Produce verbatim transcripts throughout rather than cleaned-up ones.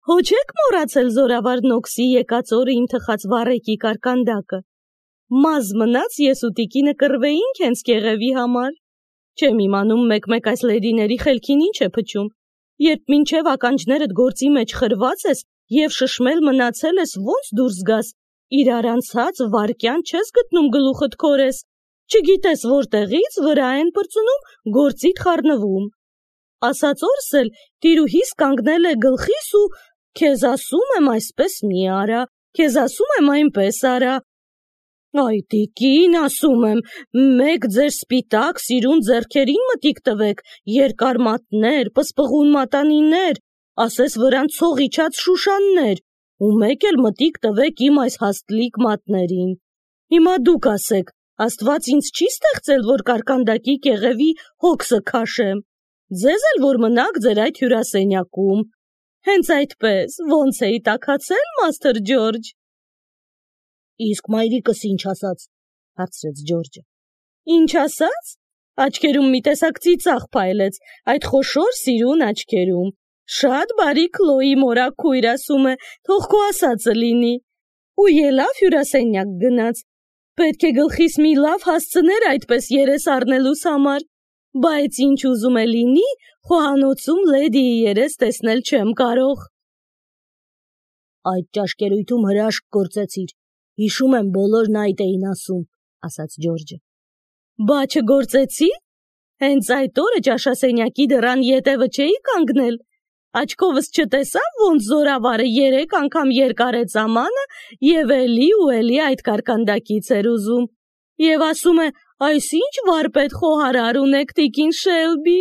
Հո չեք մոռացել զորավար Նոքսի եկած օրը իմ թխած վառեկի կարկանդակը։ Մազ մնաց ես ու տիկինը կռվեինք հենց կեղևի համար։ Չեմ իմանում մեկ-մեկ այս լեդիների խելքին ինչ է փչում, երբ մինչև ականջներդ գործի մեջ խրված ես և շշմել մնացել ես ոնց դուրս գաս, իրար անցած վարկյան չես գտնում գլուխդ քորես, չգիտես որտեղից վրա են պրծնում, գործիդ խառնվում։ Ասած օրս էլ տիրուհիս կանգնել է գլխիս ու քեզ ասում եմ այսպես մի արա, քեզ ասում եմ այնպես արա։ Այ տիկին, ասում եմ, մեկ ձեր սպիտակ սիրուն ձեռքերին մտիկ տվեք, երկար մատներ, պսպղուն մատանիներ, ասես վրան ցող իջած շուշաններ, ու մեկ էլ մտիկ տվեք իմ այս հաստլիկ մատներին։ Հիմա դուք ասեք, Աստված ինձ չի ստեղծել, որ կարկանդակի կեղևի հոգսը քաշեմ, ձեզ էլ որ մնաք ձեր այդ հյուրասենյակում։ Հենց այդպես, ոնց էի տաքացել, Մաստր Ջորջ։ Իսկ մայրիկս ինչ ասաց, հարցրեց Ջորջը։ Ինչ ասաց։ Աչքերում մի տեսակ ծիծաղ փայլեց, այդ խոշոր սիրուն աչքերում։ Շատ բարի Քլոյի մորաքույր, ասում է, թող քո ասածը լինի։ Ու ելավ հյուրասենյակ գնաց։ Պետք է գլխիս մի լավ հասցներ այդպես երես առնելուս համար, բայց ինչ ուզում է լինի, խոհանոցում լեդիի երես տեսնել չեմ կարող։ Այդ ճաշկերույթում հրաշք գործեցիր, հիշում եմ բոլորն այդ էին ասում, ասաց Ջորջը։ Բա չգործեցի։ Հենց այդ օրը ճաշասենյակի դռան ետևը չէի կանգնել։ Աչքովս չտեսավ, ոնց զորավարը երեք անգամ երկարեց ամանը և էլի ու էլի այդ կարկանդակից էր ուզում։ Եվ ասում է, այս ինչ վարպետ խոհարար ունեք, տիկին Շելբի։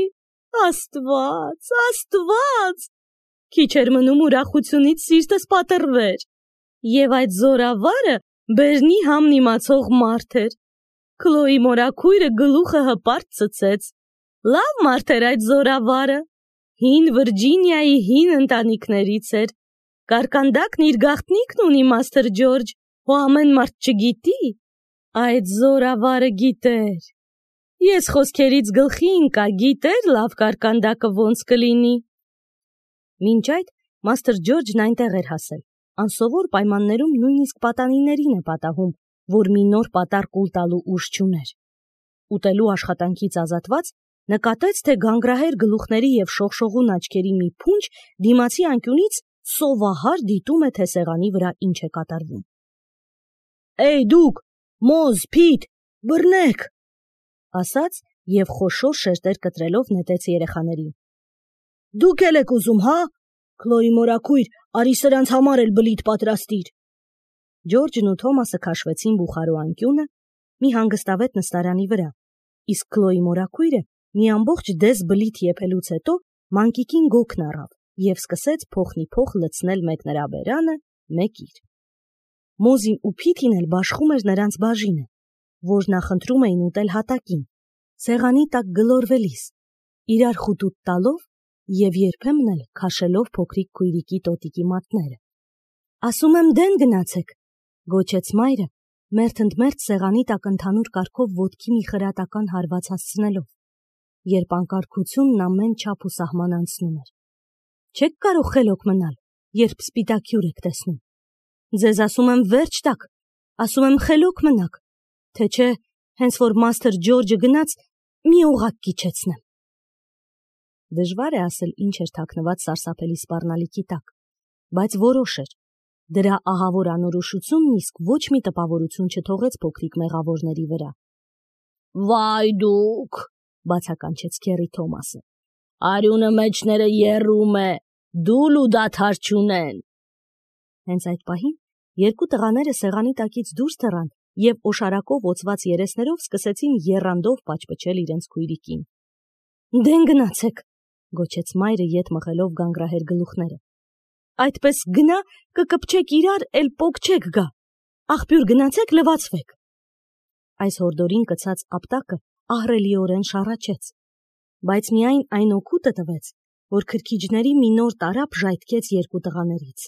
Աստված, Աստված։ Քիչ էր մնում ուրախությունից սիրտս պատռվեր։ Եվ այդ զորավարը բերնի համն իմացող մարդ էր։ Քլոյի մորաքույրը գլուխը հպարտ ցցեց։ Լավ մարդ էր այդ զորավարը։ Հին Վիրջինիայի հին ընտանիքներից էր։ Կարկանդակն իր գաղտնիքն ունի, Մաստր Ջորջ, ու ամեն մարդ չգիտի։ Այդ զորավարը գիտեր։ Ես խոսքերից գլխի ընկա, գիտեր լավ կարկանդակը ոնց կլինի։ Մինչ այդ Մաստր Ջորջն այնտեղ էր հասել։ Անսովոր պայմաններում նույնիսկ պատանիներին է պատահում, որ մի նոր պատառ կուլ տալու ուժ չուներ։ Ուտելու աշխատանքից ազատված նկատեց, թե գանգրահեր գլուխների և շողշողուն աչքերի մի փունջ դիմացի անկյունից սովահար դիտում է, թե սեղանի վրա ինչ է կատարվում։ Էй դուք, մոզ, փիթ, բռնեք, ասաց և խոշոր շերտեր կտրելով նետեց երեխաներին։ Դուք էլ եք ուզում, հա։ Քլոյի մորաքույր, արի սրանց համար էլ բլիթ պատրաստիր։ Ջորջն ու Թոմասը քաշվեցին բուխարու անկյունը, մի հանգստավետ նստարանի վրա, իսկ Քլոյի մորաքույրը մի ամբողջ դես բլիթ եփելուց հետո մանկիկին գոգն առավ և սկսեց փոխնիփոխ լցնել մեկ նրա բերանը, մեկ իր։ Մոզին ու Փիթին էլ բաշխում էր նրանց բաժինը, որ նախընտրում էին ուտել հատակին, սեղանի տակ գլորվելիս, իրար խուտուտ տալով և երբեմն էլ քաշելով փոքրիկ քույրիկի տոտիկի մատները։ Ասում եմ դեն գնացեք, գոչեց մայրը, մերթ ընդ մերթ սեղանի տակ ընդհանուր կարգով ոտքի մի խրատական հարված հասցնելով, երբ անկարգությունն ամեն չափ ու սահման անցնում էր։ Չեք կարող խելոք մնալ, երբ սպիտակ հյուր եք տեսնում։ Ձեզ ասում եմ վերջ տաք, ասում եմ խելոք մնաք, թե չէ, հենց որ Մաստր Ջորջը գնաց, մի օղակ կիջեցնեմ։ Դժվար է ասել ինչ էր թաքնված սարսափելի սպառնալիքի տակ, բայց որոշ էր։ Դրա ահավոր անորոշությունն իսկ ոչ մի տպավորություն չթողեց փոքրիկ մեղավորների վրա։ Վայ դուք, բացականչեց քերի Թոմասը, արյունը մեջները եռում է, դուլ ու դադար չունեն։ Հենց այդ պահին երկու տղաները սեղանի տակից դուրս թռան և օշարակով օծված երեսներով սկսեցին եռանդով պաչպչել իրենց քույրիկին։ Դեն գնացեք, գոչեց մայրը ետ մղելով գանգրահեր գլուխները։ Այդպես գնա, կկպչեք իրար, էլ պոկչեք գա։ Աղբյուր գնացեք, լվացվեք։ Այս հորդորին կցած ապտակը ահռելիորեն շառաչեց, բայց միայն այն օգուտը տվեց, որ քրքիջների մի նոր տարափ ժայթքեց երկու տղաներից։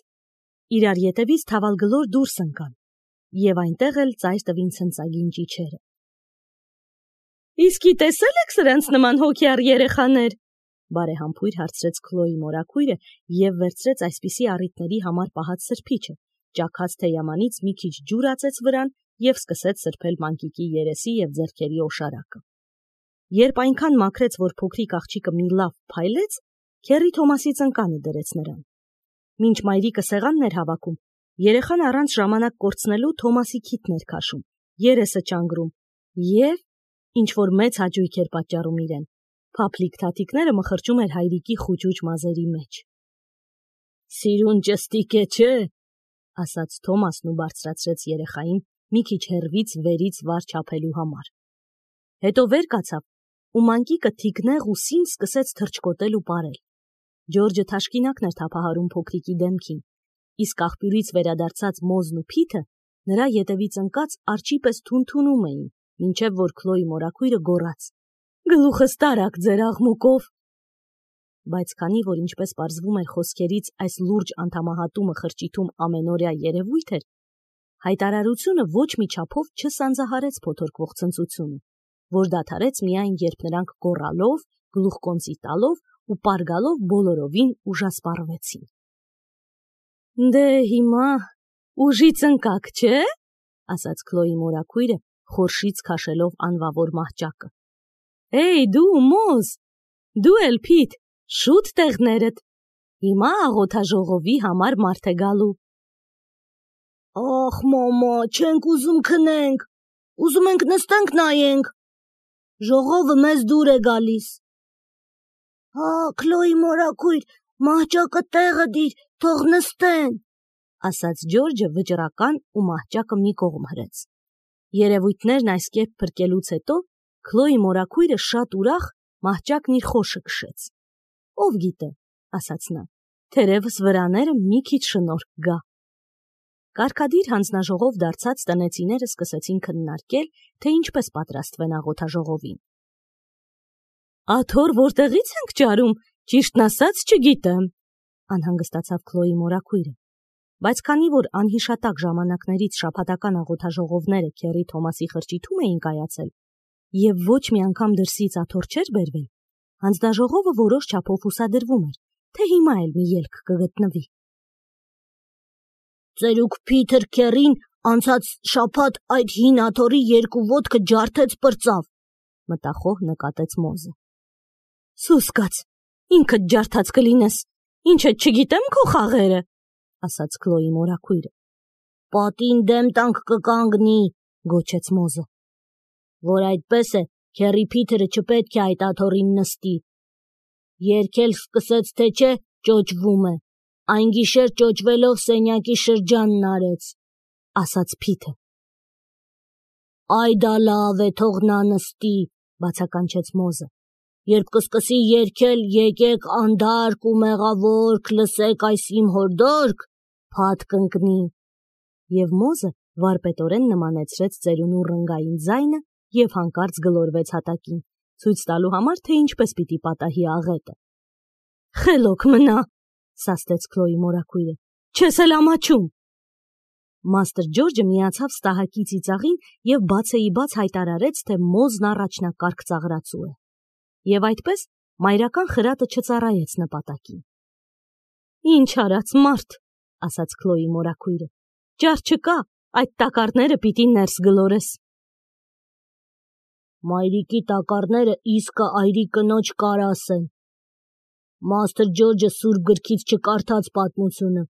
Իրար ետևից թավալգլոր դուրս ընկան, և այնտեղ էլ ծայր տվին ցնծագին ճիչերը։ Իսկի տեսել եք սրանց նման հոգյար երեխաներ, բարեհամբույր հարցրեց Քլոյի մորաքույրը և վերցրեց այսպիսի առիթների համար պահած սրբիչը, ճաքած թեյամանից մի քիչ ջուր ածեց վրան և սկսեց սրբել մանկիկի երեսի և ձեռքերի օշարակը։ Երբ այնքան մաքրեց, որ փոքրիկ աղջիկը մի լավ փայլեց, Քեռի Թոմասի ծնկանը դրեց նրան։ Մինչ մայրիկը սեղանն էր հավաքում, երեխան առանց ժամանակ կորցնելու Թոմասի քիթն էր քաշում, երեսը ճանգրում և, ինչ-որ մեծ հաճույք էր պատճառում իրեն, փափլիկ թաթիկները մխրճում էր հայրիկի խուճուճ մազերի մեջ։ «Սիրուն ճստիկ է, չէ՞», ասաց Թոմասն ու բարձրացրեց երեխային մի քիչ հեռվից վերից վար չափելու համար։ Հետո վեր կացավ ու մանկիկը թիկնեղ ու սին սկսեց թռչկոտել ու պարել։ Ջորջը թաշկինակն էր թափահարում փոքրիկի դեմքին, իսկ աղբյուրից վերադարձած Մոզն ու Փիթը նրա ետևից ընկած արջի պես թունթունում էին, մինչև որ Քլոյի մորաքույրը գոռաց. «Գլուխս տարաք ձեր աղմուկով»։ Բայց քանի որ, ինչպես պարզվում էր խոսքերից, այս լուրջ անդամահատումը խրճիթում ամենօրյա երևույթ էր, հայտարարությունը ոչ մի չափով չսանձահարեց փոթորկվող ցնծությունը, որ դադարեց միայն, երբ նրանք գոռալով, գլուխկոնծի տալով ու պարգալով բոլորովին ուժասպառվեցին։ «Դե հիմա ուժից ընկաք, չէ՞», ասաց Քլոյի մորաքույրը, խորշից քաշելով անվավոր մահճակը։ «Էй, դու Մոզ, դու էլ Փիթ, շուտ տեղներդ, հիմա աղոթաժողովի համար մարդ է գալու»։ «Ախ, մամա, չենք ուզում քնենք, ուզում ենք նստենք նայենք, ժողովը մեզ դուր է գալիս»։ «Հա, Քլոյի մորաքույր, մահճակը տեղը դիր, թող նստեն», ասաց Ջորջը վճռական ու մահճակը մի կողմ հրեց։ Երևույթներն այս կերպ փրկելուց հետո Քլոյի մորաքույրը շատ ուրախ մահճակն իր խորշը քշեց։ «Ով գիտե», ասաց նա, «թերևս վրաները մի քիչ շնորհք գա»։ Կարգադիր հանձնաժողով դարձած տնեցիները սկսեցին քննարկել, թե ինչպես պատրաստվեն աղոթաժողովին։ «Աթոռ որտեղից ենք ճարում, ճիշտն ասած չգիտեմ», անհանգստացավ Քլոյի մորաքույրը։ Բայց քանի որ անհիշատակ ժամանակներից շաբաթական աղոթաժողովները Քեռի Թոմասի խրճիթում էին կայացել, և ոչ մի անգամ դրսից աթոռ չէր բերվել, հանձնաժողովը որոշ չափով հուսադրվում էր, թե հիմա էլ մի ելք կգտնվի։ «Ծերուկ Փիթր Քեռին անցած շաբաթ այդ հին աթոռի երկու ոտքը ջարդեց պրծավ», մտախոհ նկատեց Մոզը։ «Սուս կաց, ինքդ ջարդած կլինես, ինչդ չգիտեմ քո խաղերը», ասաց Քլոյի մորաքույրը։ «Պատին դեմ տանք կկանգնի», գոչեց Մոզը։ «Որ այդպես է, Քեռի Փիթերը չպետք է այդ աթոռին նստի։ Երգել սկսեց, թե չէ, ճոճվում է, այն գիշեր ճոճվելով սենյակի շրջանն արեց», ասաց Փիթը։ «Այ դա լավ է, թող նա նստի», բացականչեց Մոզը։ «Երբ կսկսի երգել, եկեք անդարկ ու մեղավոր լսեք այս իմ հորդորք, փաթ կընկնի»։ Եվ Մոզը վարպետորեն նմանեցրեց ծերունու ռնգային ձայնը և հանկարծ գլորվեց հատակին, ցույց տալու համար, թե ինչպես պիտի պատահի աղետը։ «Խելոք մնա», սաստեց Քլոյի մորաքույրը, «չես էլ ամաչում»։ Մաստր Ջորջը միացավ ստահակի ծիծաղին և բացեիբաց հայտարարեց, թե Մոզն առաջնակարգ ծաղրացու է։ Եվ այդպես մայրական խրատը չծառայեց նպատակին։ «Ինչ արած մարդ», ասաց Քլոյի մորաքույրը, «ճար չկա, այդ տակառները պիտի ներս գլորես»։ «Մայրիկի տակառները իսկը այրի կնոջ կարաս են։ Մաստր Ջորջը սուրբ գրքից չկարդաց պատմությունը,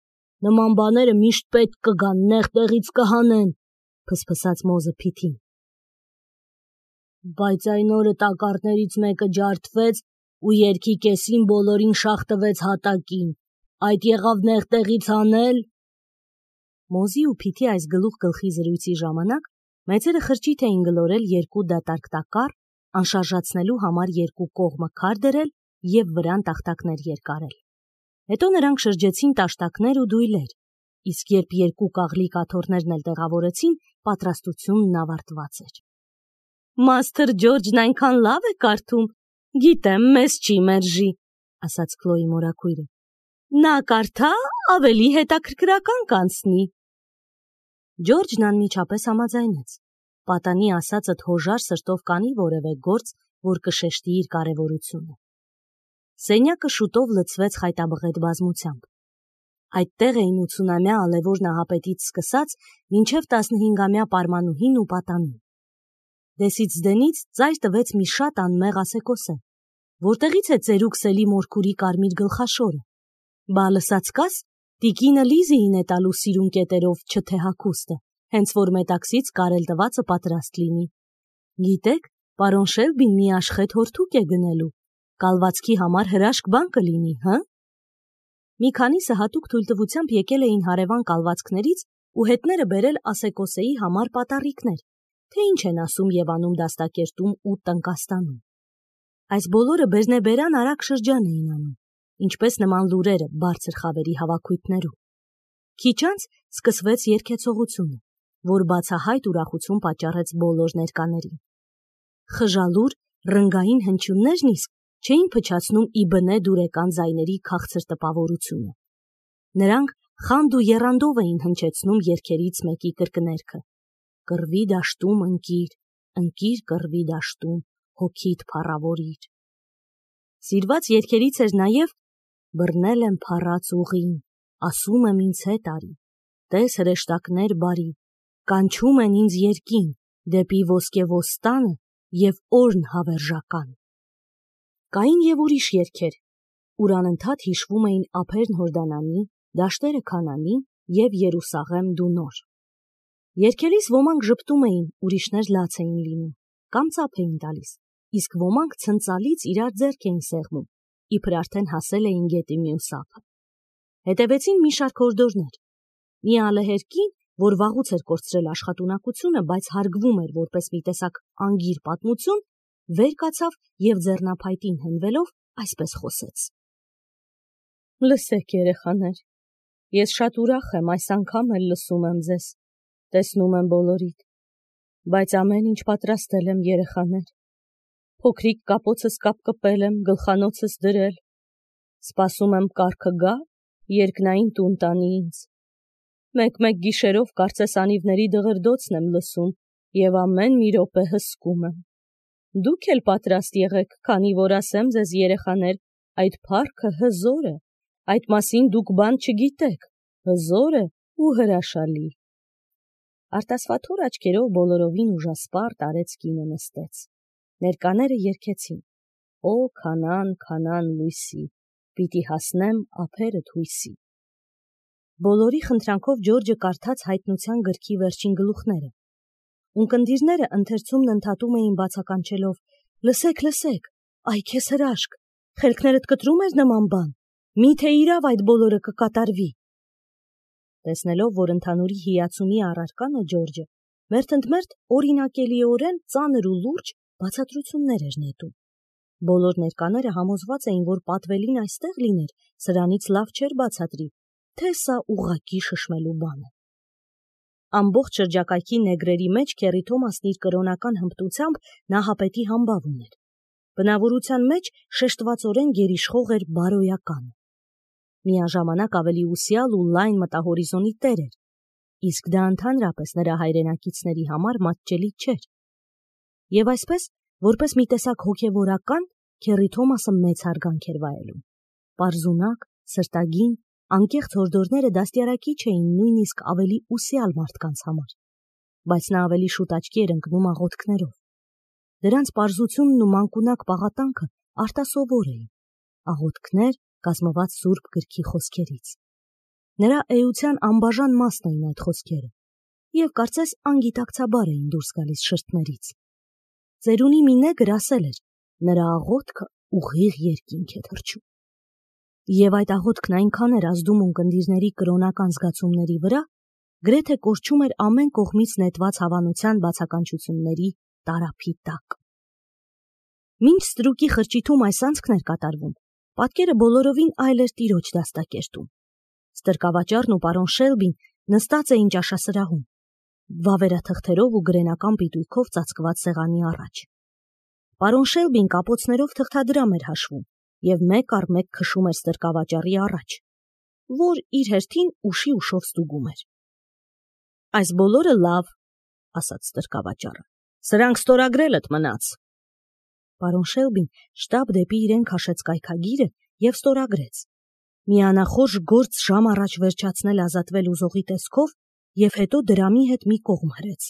նման բաները միշտ պետք կգան, նեղ տեղից կհանեն», փսփսաց Մոզը Փիթին։ «Բայց այն օրը տակառներից մեկը ջարդվեց ու երգի կեսին բոլորին շաղ տվեց հատակին, այդ եղավ նեղ տեղից հանել»։ Մոզի ու Փիթի այս գլուխ գլխի զրույցի ժամանակ մեծերը խրճիթ էին գլորել երկու դատարկ տակառ, անշարժացնելու համար երկու կողմը քար դրել և վրան տախտակներ երկարել։ Հետո նրանք շրջեցին տաշտակներ ու դույլեր, իսկ երբ երկու կաղլիկ աթոռներն էլ տեղավորեցին, պատրաստությունն ավարտված էր։ «Մաստր Ջորջն այնքան լավ է կարդում, գիտեմ, մեզ չի մերժի», ասաց Քլոյի մորաքույրը։ «Նա կարդա, ավելի հետաքրքրական կանցնի»։ Ջորջն անմիջապես համաձայնեց։ Պատանի ասածդ հոժար սրտով կանի որևէ գործ, որ կշեշտի իր կարևորությունը։ Սենյակը շուտով լցվեց խայտաբղետ բազմությամբ։ Այդտեղ էին ութսունամյա ալևոր նահապետից սկսած մինչև տասնհինգամյա պարմանուհին ու պատանին։ Դեսից դենից ծայր տվեց մի շատ անմեղ ասեկոսե, որտեղից է ծերուկ սելի մորքուրի կարմիր գլխաշորը։ Բա լսած կաս, տիկինը Լիզիին է տալու սիրուն կետերով չթե հագուստը, հենց որ մետաքսից կարել տվածը պատրաստ լինի։ Գիտեք, պարոն Շելբին մի աշխետ հորթուկ է գնելու, կալվածքի համար հրաշք բան կլինի, հը։ Մի քանիսը հատուկ թույլտվությամբ եկել էին հարևան կալվածքներից ու հետները բերել ասեկոսեի համար պատառիկներ, թե ինչ են ասում եւ անում դաստակերտում ու տնկաստանում։ Այս բոլորը բերնեբերան արագ շրջան էին անում, ինչպես նման լուրերը բարձր խավերի հավաքույթներում։ Քիչ անց սկսվեց երգեցողությունը, որ բացահայտ ուրախություն պատճառեց բոլոր ներկաներին։ Խժալուր, ռնգային հնչյուններն իսկ չէին փչացնում ի բնե դուրեկան ձայների քաղցր տպավորությունը։ Նրանք խանդ ու եռանդով էին հնչեցնում երգերից մեկի կրկներքը. «Կռվի դաշտում ընկիր, ընկիր կռվի դաշտում, հոգիդ փառավորիր»։ Սիրված երգերից էր նաև «Բռնել եմ փառած ուղին, ասում եմ ինձ հետ արի, տես հրեշտակներ բարի, կանչում են ինձ երկին, դեպի ոսկեոստանը և օրն հավերժական»։ Կային և ուրիշ երգեր, ուր անընդհատ հիշվում էին ափերն Հորդանանի, դաշտերը Քանանի և Երուսաղեմ դու նոր։ Երգերից ոմանք ժպտում էին, ուրիշներ լաց էին լինում, կամ ծափ էին տալիս, իսկ ոմանք ցնծալից իրար ձեռք էին սեղմում, իբր արդեն հասել էին գետի մյուս ափը։ Հետևեցին մի շարք հորդորներ։ Մի ալեհեր կին, որ վաղուց էր կորցրել աշխատունակությունը, բայց հարգվում էր որպես մի տեսակ անգիր պատմություն, վեր կացավ և ձեռնափայտին հենվելով այսպես խոսեց. Լսեք, երեխաներ, ես շատ ուրախ եմ, այս անգամ էլ լսում եմ ձեզ, տեսնում եմ բոլորիդ, բայց ամեն ինչ պատրաստել եմ, երեխաներ։ Փոքրիկ կապոցս կապկպել եմ, գլխանոցս դրել, սպասում եմ կառքը գա, երկնային տուն տանի ինձ։ Մեկ-մեկ գիշերով կարծես անիվների դղրդոցն եմ լսում և ամեն մի րոպե հսկում եմ։ Դուք էլ պատրաստ եղեք, քանի որ ասեմ ձեզ, երեխաներ, այդ փառքը հզոր է, այդ մասին դուք բան չգիտեք, հզոր է ու հրաշալի։ Արտասվաթոր աչքերով բոլորովին ուժասպառ տարեց կինը նստեց։ Ներկաները երգեցին. «Օ Քանան, Քանան լույսի, պիտի հասնեմ ափերդ հույսի»։ Բոլորի խնդրանքով Ջորջը կարդաց հայտնության գրքի վերջին գլուխները։ Ունկնդիրները ընթերցումն ընդհատում էին բացականչելով. «Լսեք, լսեք, այ քեզ հրաշք, խելքներդ կտրում էր նման բան, մի՞թե իրավ այդ բոլորը կկատարվի»։ Տեսնելով, որ ընդհանուրի հիացումի առարկան է Ջորջը, մերթընդմերթ օրինակելիորեն ծանր ու լուրջ բացատրություններ էր նետում։ Բոլոր ներկաները համոզված էին, որ պատվելին այստեղ լիներ, սրանից լավ չէր բացատրի, թե սա ուղղակի շշմելու բան է։ Ամբողջ շրջակայքի նեգրերի մեջ Քերի Թոմասն իր կրոնական հմտությամբ նահապետի համբավ ուներ։ Բնավորության մեջ շեշտվածորեն գերիշխող էր բարոյականը։ Միաժամանակ ավելի ուսյալ ու լայն մտահորիզոնի տեր էր, իսկ դա ընդհանրապես նրա հայրենակիցների համար մատչելի չէր։ Եվ այսպես, որպես մի տեսակ հոգևորական, Քերի Թոմասը մեծ հարգանք էր վայելում։ Պարզունակ, սրտագին, անկեղծ հորդորները դաստիարակիչ էին նույնիսկ ավելի ուսյալ մարդկանց համար, բայց նա ավելի շուտ աչքի էր ընկնում աղոթքներով։ Դրանց պարզությունն ու մանկունակ պաղատանքը արտասովոր էին, աղոթքներ կազմված Սուրբ գրքի խոսքերից։ Նրա էության անբաժան մասն էին այդ խոսքերը, և կարծես անգիտակցաբար էին դուրս գալիս շրթներից։ Ծերունի մի նեգր ասել էր. նրա աղոթքը ուղիղ երկինք է թռչում։ Եվ այդ աղոթքն այնքան էր ազդում ունկնդիրների կրոնական զգացումների վրա, գրեթե կորչում էր ամեն կողմից նետված հավանության բացականչությունների տարափի տակ։ Մինչ ստրուկի խրճիթում այս անցքն էր կատարվում, պատկերը բոլորովին այլ էր տիրոջ դաստակերտում։ Ստրկավաճառն ու պարոն Շելբին նստած էին ճաշասրահում, վավերաթղթերով ու գրենական պիտույքով ծածկված սեղանի առաջ։ Պարոն Շելբին կապոցներով թղթադրամ էր հաշվում և մեկ առ մեկ քշում էր ստրկավաճառի առաջ, որ իր հերթին ուշի ուշով ստուգում էր։ Այս բոլորը լավ, ասաց ստրկավաճառը, սրանք ստորագրելդ մնաց։ Պարոն Շելբին շտապ դեպի իրեն քաշեց կայքագիրը և ստորագրեց. մի անախորժ գործ ժամ առաջ վերջացնել ազատվել ուզողի տեսքով և հետո դրամի հետ մի կողմ հրեց։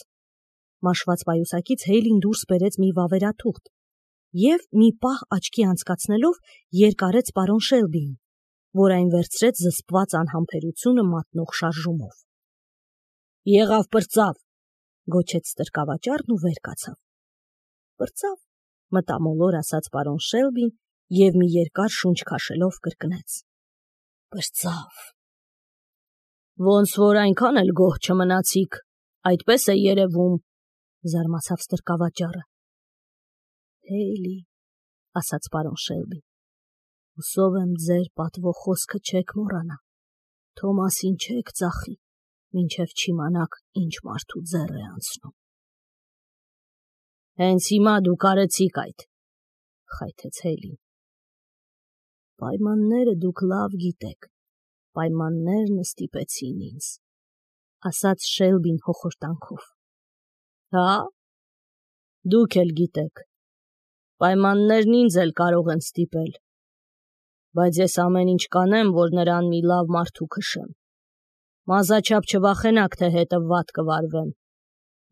Մաշված պայուսակից Հեյլին դուրս բերեց մի վավերաթուղթ և մի պահ աչքի անցկացնելով երկարեց պարոն Շելբիին, որ այն վերցրեց զսպված անհամբերությունը մատնող շարժումով։ «Եղավ պրծավ», գոչեց ստրկավաճառն ու վեր կացավ։ «Պրծավ», մտամոլոր ասաց պարոն Շելբին և մի երկար շունչ քաշելով կրկնեց. «Պրծավ»։ «Ոնց որ այնքան էլ գոհ չմնացիք, այդպես է երևում», զարմացավ ստրկավաճառը։ «Հեյլի», ասաց պարոն Շելբին, «հուսով եմ ձեր պատվո խոսքը չեք մոռանա, Թոմասին չեք ծախի, մինչև չիմանաք ինչ մարդու ձեռ է անցնում»։ «Հենց հիմա դուք արեցիք այդ», խայթեց Հեյլին։ «Պայմանները դուք լավ գիտեք, պայմաններն ստիպեցին ինձ», ասաց Շելբին հոխորտանքով։ «Հա՞, դուք էլ գիտեք, պայմաններն ինձ էլ կարող են ստիպել, բայց ես ամեն ինչ կանեմ, որ նրան մի լավ մարդու քշեմ։ Մազաչափ չվախենաք, թե հետը վատ կվարվեմ։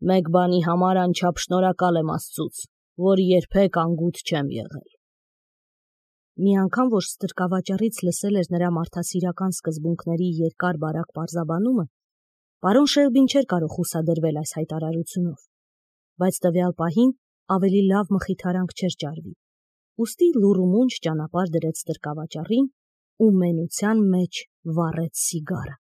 Մեկ բանի համար անչափ շնորհակալ եմ Աստծուց, որ երբեք անգութ չեմ եղել»։ Մի անգամ, որ ստրկավաճառից լսել էր նրա մարդասիրական սկզբունքների երկար բարակ պարզաբանումը, պարոն Շելբին չէր կարող խուսադրվել այս հայտարարությունով, բայց տվյալ պահին ավելի լավ մխիթարանք չէր ճարվի, ուստի լուռումունջ ճանապարհ դրեց ստրկավաճառին ու մենության մեջ վառեց սիգարը։